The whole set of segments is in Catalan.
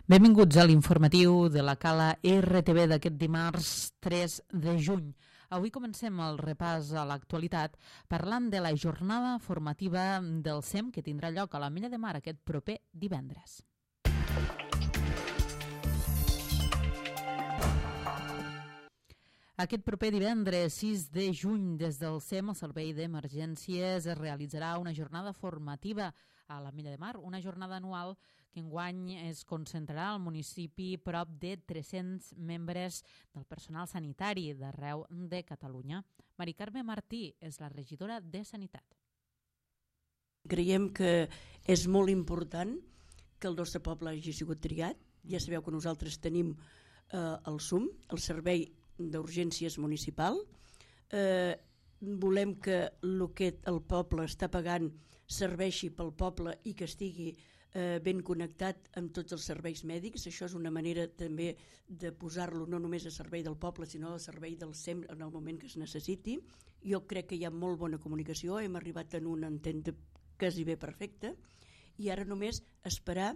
Benvinguts a l'informatiu de la Cala RTV d'aquest dimarts 3 de juny. Avui comencem el repàs a l'actualitat parlant de la jornada formativa del SEM que tindrà lloc a l'Ametlla de Mar aquest proper divendres. Aquest proper divendres 6 de juny des del SEM, el Servei d'Emergències, es realitzarà una jornada formativa a l'Ametlla de Mar, una jornada anual que enguany es concentrarà al municipi prop de 300 membres del personal sanitari d'arreu de Catalunya. Mari Carme Martí és la regidora de Sanitat. Creiem que és molt important que el nostre poble hagi sigut triat. Ja sabeu que nosaltres tenim el SUM, el Servei d'Urgències Municipal. Volem que el que el poble està pagant serveixi pel poble i que estigui ben connectat amb tots els serveis mèdics. Això és una manera també de posar-lo no només a servei del poble, sinó a servei del SEM en el moment que es necessiti. Jo crec que hi ha molt bona comunicació, hem arribat en una entente quasi bé perfecta i ara només esperar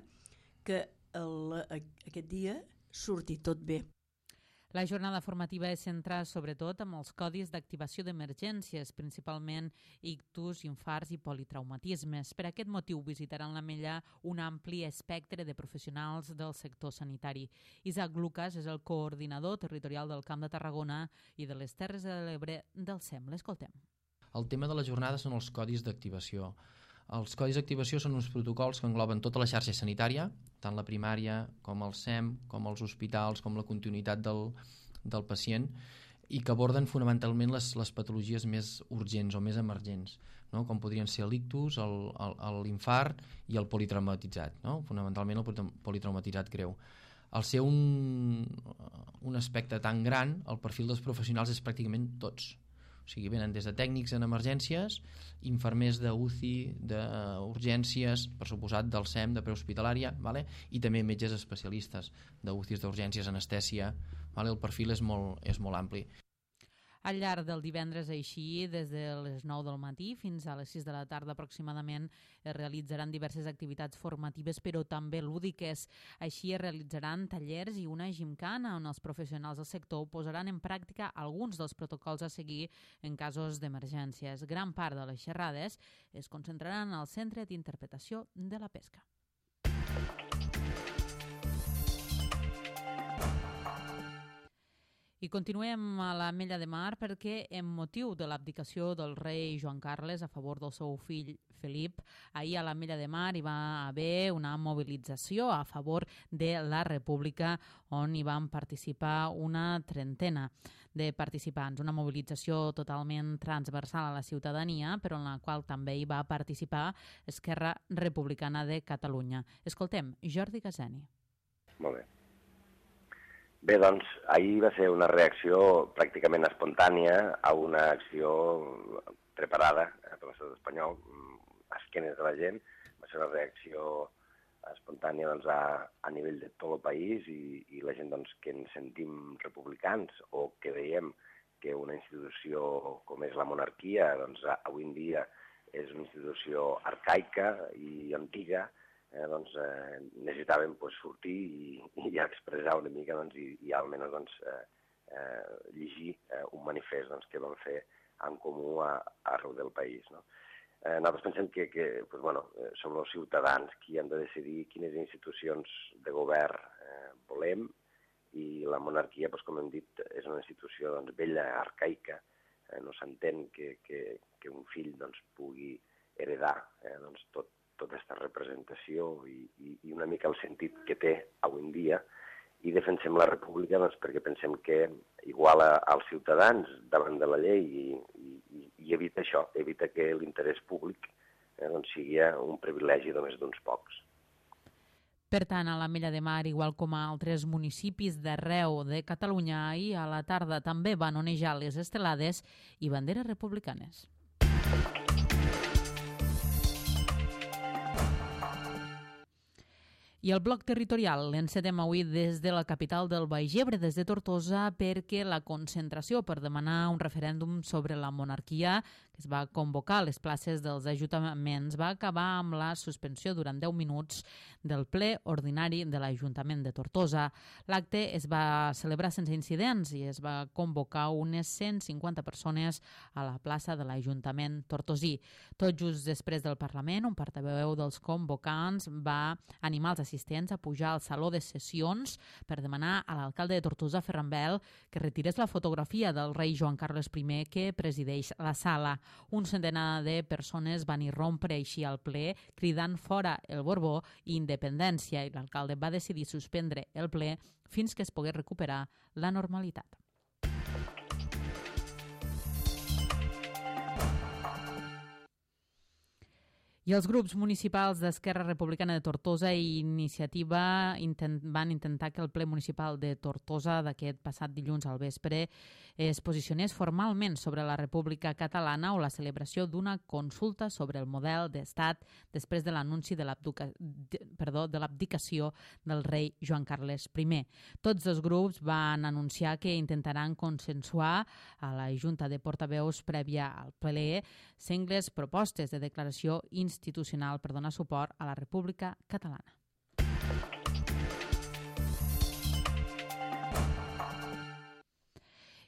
que aquest dia surti tot bé. La jornada formativa es centra sobretot en els codis d'activació d'emergències, principalment ictus, infarts i politraumatismes. Per aquest motiu visitaran l'Ametlla un ampli espectre de professionals del sector sanitari. Isaac Lucas és el coordinador territorial del Camp de Tarragona i de les Terres de l'Ebre del SEM. L'escoltem. El tema de la jornada són els codis d'activació. Els codis d'activació són uns protocols que engloben tota la xarxa sanitària, tant la primària com el SEM, com els hospitals, com la continuïtat del pacient, i que aborden fonamentalment les patologies més urgents o més emergents, no? Com podrien ser l'ictus, l'infart i el politraumatitzat, no? Fonamentalment el politraumatitzat greu. Al ser un aspecte tan gran, el perfil dels professionals és pràcticament tots. O sigui, venen des de tècnics en emergències, infermers d'UCI, d'urgències, per suposat del SEM, de prehospitalària, vale? I també metges especialistes d'UCIs, d'urgències, anestèsia. Vale? El perfil és molt ampli. Al llarg del divendres, així, des de les 9 del matí fins a les 6 de la tarda aproximadament, es realitzaran diverses activitats formatives, però també lúdiques. Així es realitzaran tallers i una gimcana on els professionals del sector posaran en pràctica alguns dels protocols a seguir en casos d'emergències. Gran part de les xerrades es concentraran al Centre d'Interpretació de la Pesca. I continuem a l'Ametlla de Mar perquè, en motiu de l'abdicació del rei Joan Carles a favor del seu fill Felip, ahir a l'Ametlla de Mar hi va haver una mobilització a favor de la República on hi van participar una trentena de participants. Una mobilització totalment transversal a la ciutadania, però en la qual també hi va participar Esquerra Republicana de Catalunya. Escoltem Jordi Casani. Molt bé. Bé, doncs, ahir va ser una reacció pràcticament espontània a una acció preparada per l'estat espanyol, a esquenes de la gent. Va ser una reacció espontània doncs, a nivell de tot el país i la gent doncs, que ens sentim republicans o que veiem que una institució com és la monarquia doncs, avui en dia és una institució arcaica i antiga, necessitàvem sortir i expressar una mica i almenys llegir un manifest que vam fer en comú arreu del país. Nosaltres pensem que som els ciutadans qui han de decidir quines institucions de govern volem i la monarquia, com hem dit, és una institució vella, arcaica. No s'entén que un fill pugui heredar tota aquesta representació i una mica el sentit que té avui en dia, i defensem la república perquè pensem que iguala als ciutadans davant de la llei i evita això, evita que l'interès públic sigui un privilegi només d'uns pocs. Per tant, a l'Ametlla de Mar, igual com a altres municipis d'arreu de Catalunya, ahir a la tarda també van onejar les estelades i banderes republicanes. I el bloc territorial l'encetem avui des de la capital del Baix Ebre, des de Tortosa, perquè la concentració per demanar un referèndum sobre la monarquia que es va convocar a les places dels ajuntaments va acabar amb la suspensió durant 10 minuts del ple ordinari de l'Ajuntament de Tortosa. L'acte es va celebrar sense incidents i es va convocar unes 150 persones a la plaça de l'Ajuntament tortosí. Tot just després del Parlament, un portaveu dels convocants va animar els assistents a pujar al saló de sessions per demanar a l'alcalde de Tortosa, Ferran Bel, que retirés la fotografia del rei Joan Carles I que presideix la sala. Un centenar de persones van irrompre així al ple, cridant fora el Borbó i independència, i l'alcalde va decidir suspendre el ple fins que es pogués recuperar la normalitat. I els grups municipals d'Esquerra Republicana de Tortosa i Iniciativa van intentar que el ple municipal de Tortosa d'aquest passat dilluns al vespre es posicionés formalment sobre la República Catalana o la celebració d'una consulta sobre el model d'estat després de l'anunci de l'abdicació del rei Joan Carles I. Tots els grups van anunciar que intentaran consensuar a la Junta de Portaveus prèvia al ple sengles propostes de declaració institucional per donar suport a la República Catalana.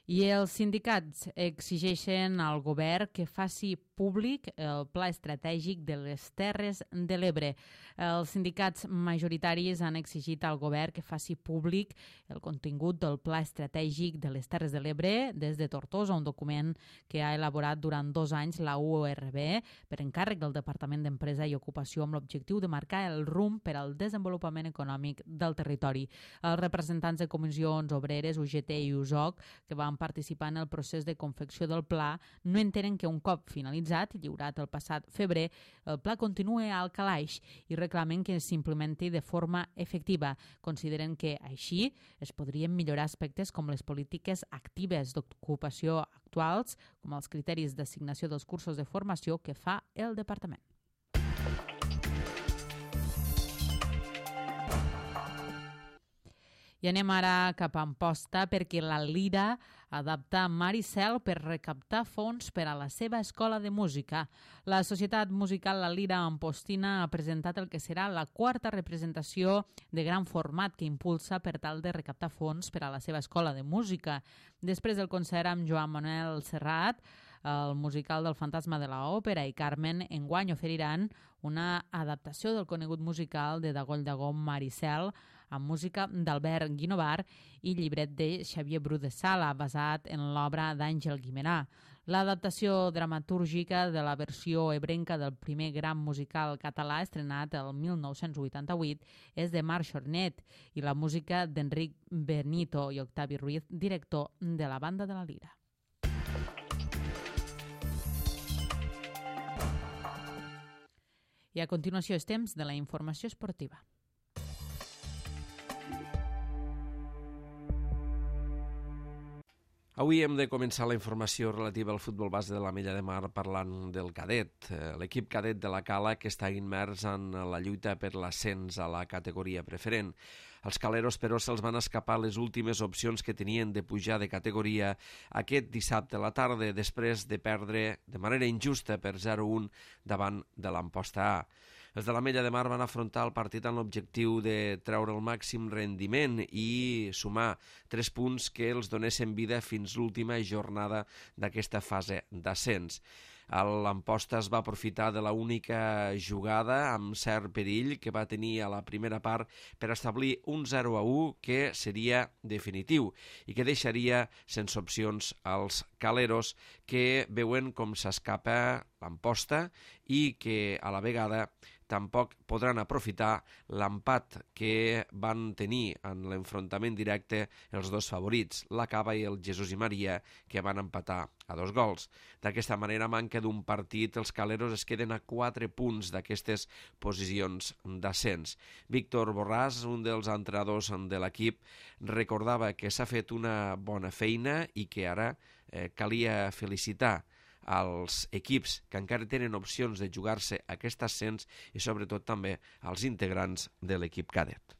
I els sindicats exigeixen al govern que faci públic el Pla Estratègic de les Terres de l'Ebre. Els sindicats majoritaris han exigit al govern que faci públic el contingut del Pla Estratègic de les Terres de l'Ebre des de Tortosa, un document que ha elaborat durant 2 anys la URB per encàrrec del Departament d'Empresa i Ocupació amb l'objectiu de marcar el rumb per al desenvolupament econòmic del territori. Els representants de comissions obreres, UGT i USOC, que van participar en el procés de confecció del pla, no entenen que un cop finalitzat i lliurat el passat febrer, el pla continua al calaix i reclamen que s'implementi de forma efectiva. Consideren que així es podrien millorar aspectes com les polítiques actives d'ocupació actuals, com els criteris d'assignació dels cursos de formació que fa el departament. I anem ara cap a Amposta perquè la Lira adapta Maricel per recaptar fons per a la seva escola de música. La Societat Musical La Lira Ampostina ha presentat el que serà la 4a representació de gran format que impulsa per tal de recaptar fons per a la seva escola de música. Després del concert amb Joan Manuel Serrat, el musical del Fantasma de l'Òpera i Carmen, enguany oferiran una adaptació del conegut musical de Dagoll Dagó Maricel amb música d'Albert Guinovar i llibret de Xavier Bru de Sala, basat en l'obra d'Àngel Guimerà. L'adaptació dramatúrgica de la versió ebrenca del primer gran musical català estrenat el 1988 és de Marc Chornet i la música d'Enric Benito i Octavi Ruiz, director de la Banda de la Lira. I a continuació és temps de la informació esportiva. Avui hem de començar la informació relativa al futbol base de l'Ametlla de Mar parlant del cadet. L'equip cadet de la Cala que està immers en la lluita per l'ascens a la categoria preferent. Els caleros, però, se'ls van escapar les últimes opcions que tenien de pujar de categoria aquest dissabte a la tarda després de perdre de manera injusta per 0-1 davant de l'Amposta A. Els de l'Ametlla de Mar van afrontar el partit amb l'objectiu de treure el màxim rendiment i sumar 3 punts que els donessin vida fins l'última jornada d'aquesta fase d'ascens. L'Amposta es va aprofitar de l'única jugada amb cert perill que va tenir a la primera part per establir un 0-1 que seria definitiu i que deixaria sense opcions als caleros que veuen com s'escapa l'Amposta i que a la vegada tampoc podran aprofitar l'empat que van tenir en l'enfrontament directe els dos favorits, la Cava i el Jesús i Maria, que van empatar a 2 gols. D'aquesta manera, a manca d'un partit, els caleros es queden a 4 punts d'aquestes posicions d'ascens. Víctor Borràs, un dels entrenadors de l'equip, recordava que s'ha fet una bona feina i que ara calia felicitar als equips que encara tenen opcions de jugar-se aquest ascens i sobretot també als integrants de l'equip cadet.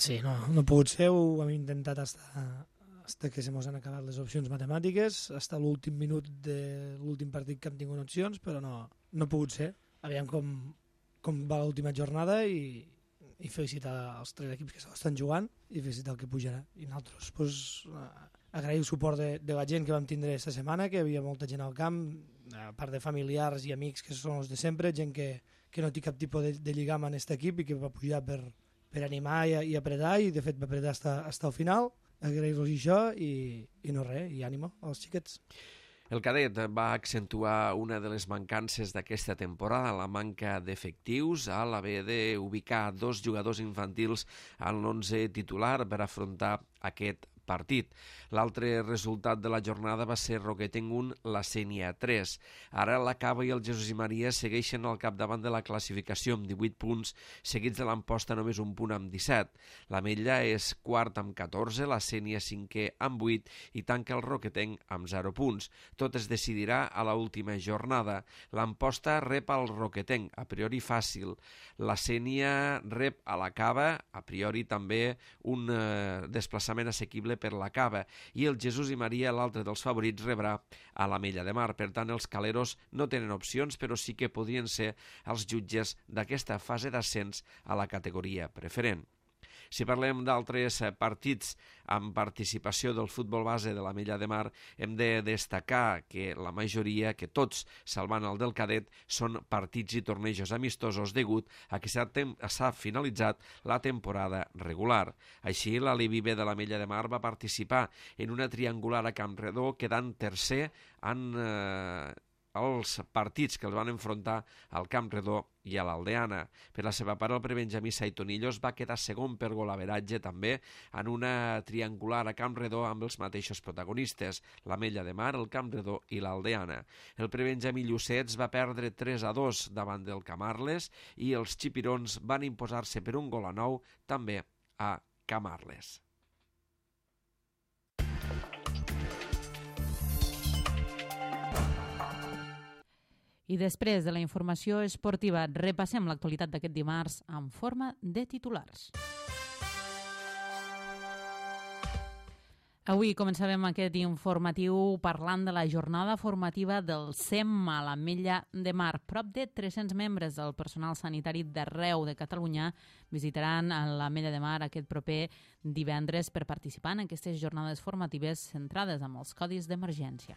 Sí, no ha pogut ser, ho hem intentat fins que se mos han acabat les opcions matemàtiques, fins a l'últim minut de l'últim partit que hem tingut opcions, però no ha pogut ser. Aviam com va l'última jornada i felicitar els 3 equips que s'estan jugant i felicitar el que pujarà. I nosaltres agrair el suport de la gent que vam tindre aquesta setmana, que hi havia molta gent al camp, a part de familiars i amics que són els de sempre, gent que no té cap tipus de lligam en aquest equip i que va pujar per animar i apretar, i de fet va apretar fins al final. Agrair-los això i no res, i ànimo als xiquets. El cadet va accentuar una de les mancances d'aquesta temporada, la manca d'efectius, a l'haver d'ubicar 2 jugadors infantils en l'11 titular per afrontar aquest partit. L'altre resultat de la jornada va ser Roquetenc 1, la Sénia 3. Ara la Cava i el Jesús i Maria segueixen al capdavant de la classificació amb 18 punts, seguits de l'Amposta només un punt amb 17. L'Ametlla és quart amb 14, la Sénia 5è amb 8 i tanca el Roquetenc amb 0 punts. Tot es decidirà a l'última jornada. L'Amposta rep al Roquetenc, a priori fàcil. La Sénia rep a la Cava, a priori també un desplaçament assequible per la Cava, i el Jesús i Maria, l'altre dels favorits, rebrà a l'Ametlla de Mar. Per tant, els caleros no tenen opcions, però sí que podrien ser els jutges d'aquesta fase d'ascens a la categoria preferent. Si parlem d'altres partits amb participació del futbol base de l'Ametlla de Mar, hem de destacar que la majoria, que tots, salvant el del cadet, són partits i tornejos amistosos degut a que s'ha finalitzat la temporada regular. Així, l'Alevi B de l'Ametlla de Mar va participar en una triangular a Camp Redó, quedant tercer en els partits que els van enfrontar al Camp Redó i a l'Aldeana. Per la seva part, el prebenjamí Saitonillos va quedar segon per golaveratge també en una triangular a Camp Redó amb els mateixos protagonistes, l'Ametlla de Mar, el Camp Redó i l'Aldeana. El prebenjamí Llucets va perdre 3-2 davant del Camarles i els xipirons van imposar-se per 1-9 també a Camarles. I després de la informació esportiva, repassem l'actualitat d'aquest dimarts en forma de titulars. Avui començàvem aquest informatiu parlant de la jornada formativa del SEM a l'Ametlla de Mar. Prop de 300 membres del personal sanitari d'arreu de Catalunya visitaran l'Ametlla de Mar aquest proper divendres per participar en aquestes jornades formatives centrades en els codis d'emergència.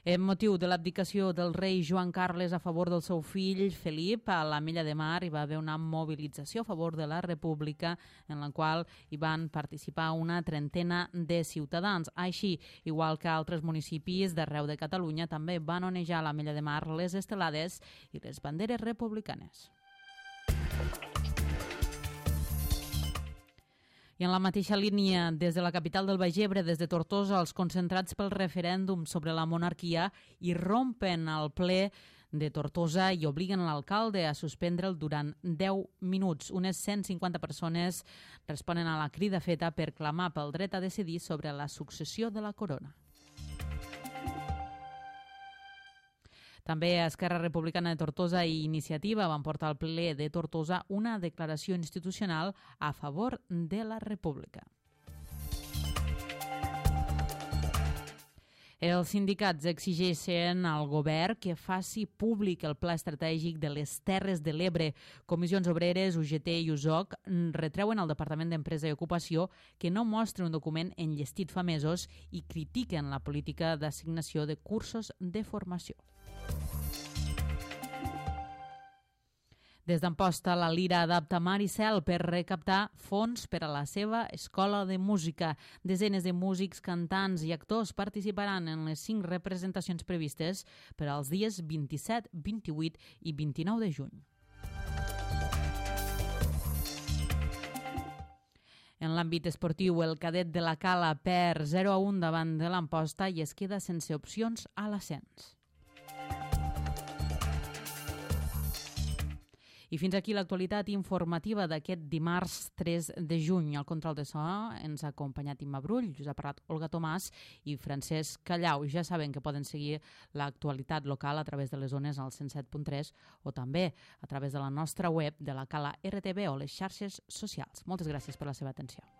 En motiu de l'abdicació del rei Joan Carles a favor del seu fill Felip, a l'Ametlla de Mar hi va haver una mobilització a favor de la República en la qual hi van participar una trentena de ciutadans. Així, igual que altres municipis d'arreu de Catalunya, també van onejar a l'Ametlla de Mar les estelades i les banderes republicanes. I en la mateixa línia, des de la capital del Baix Ebre, des de Tortosa, els concentrats pel referèndum sobre la monarquia irrompen al ple de Tortosa i obliguen l'alcalde a suspendre'l durant 10 minuts. Unes 150 persones responen a la crida feta per clamar pel dret a decidir sobre la successió de la corona. També Esquerra Republicana de Tortosa i Iniciativa van portar al ple de Tortosa una declaració institucional a favor de la República. Els sindicats exigeixen al govern que faci públic el pla estratègic de les Terres de l'Ebre. Comissions Obreres, UGT i USOC retreuen al Departament d'Empresa i Ocupació que no mostri un document enllestit fa mesos i critiquen la política d'assignació de cursos de formació. Des d'Amposta, la Lira adapta Mar i Cel per recaptar fons per a la seva escola de música. Desenes de músics, cantants i actors participaran en les 5 representacions previstes per als dies 27, 28 i 29 de juny. En l'àmbit esportiu, el cadet de la Cala perd 0-1 davant de l'Amposta i es queda sense opcions a l'ascens. I fins aquí l'actualitat informativa d'aquest dimarts 3 de juny. Al control de so ens ha acompanyat Imma Brull, us ha parlat Olga Tomàs i Francesc Callau. Ja saben que poden seguir l'actualitat local a través de les zones al 107.3 o també a través de la nostra web de la Cala RTV o les xarxes socials. Moltes gràcies per la seva atenció.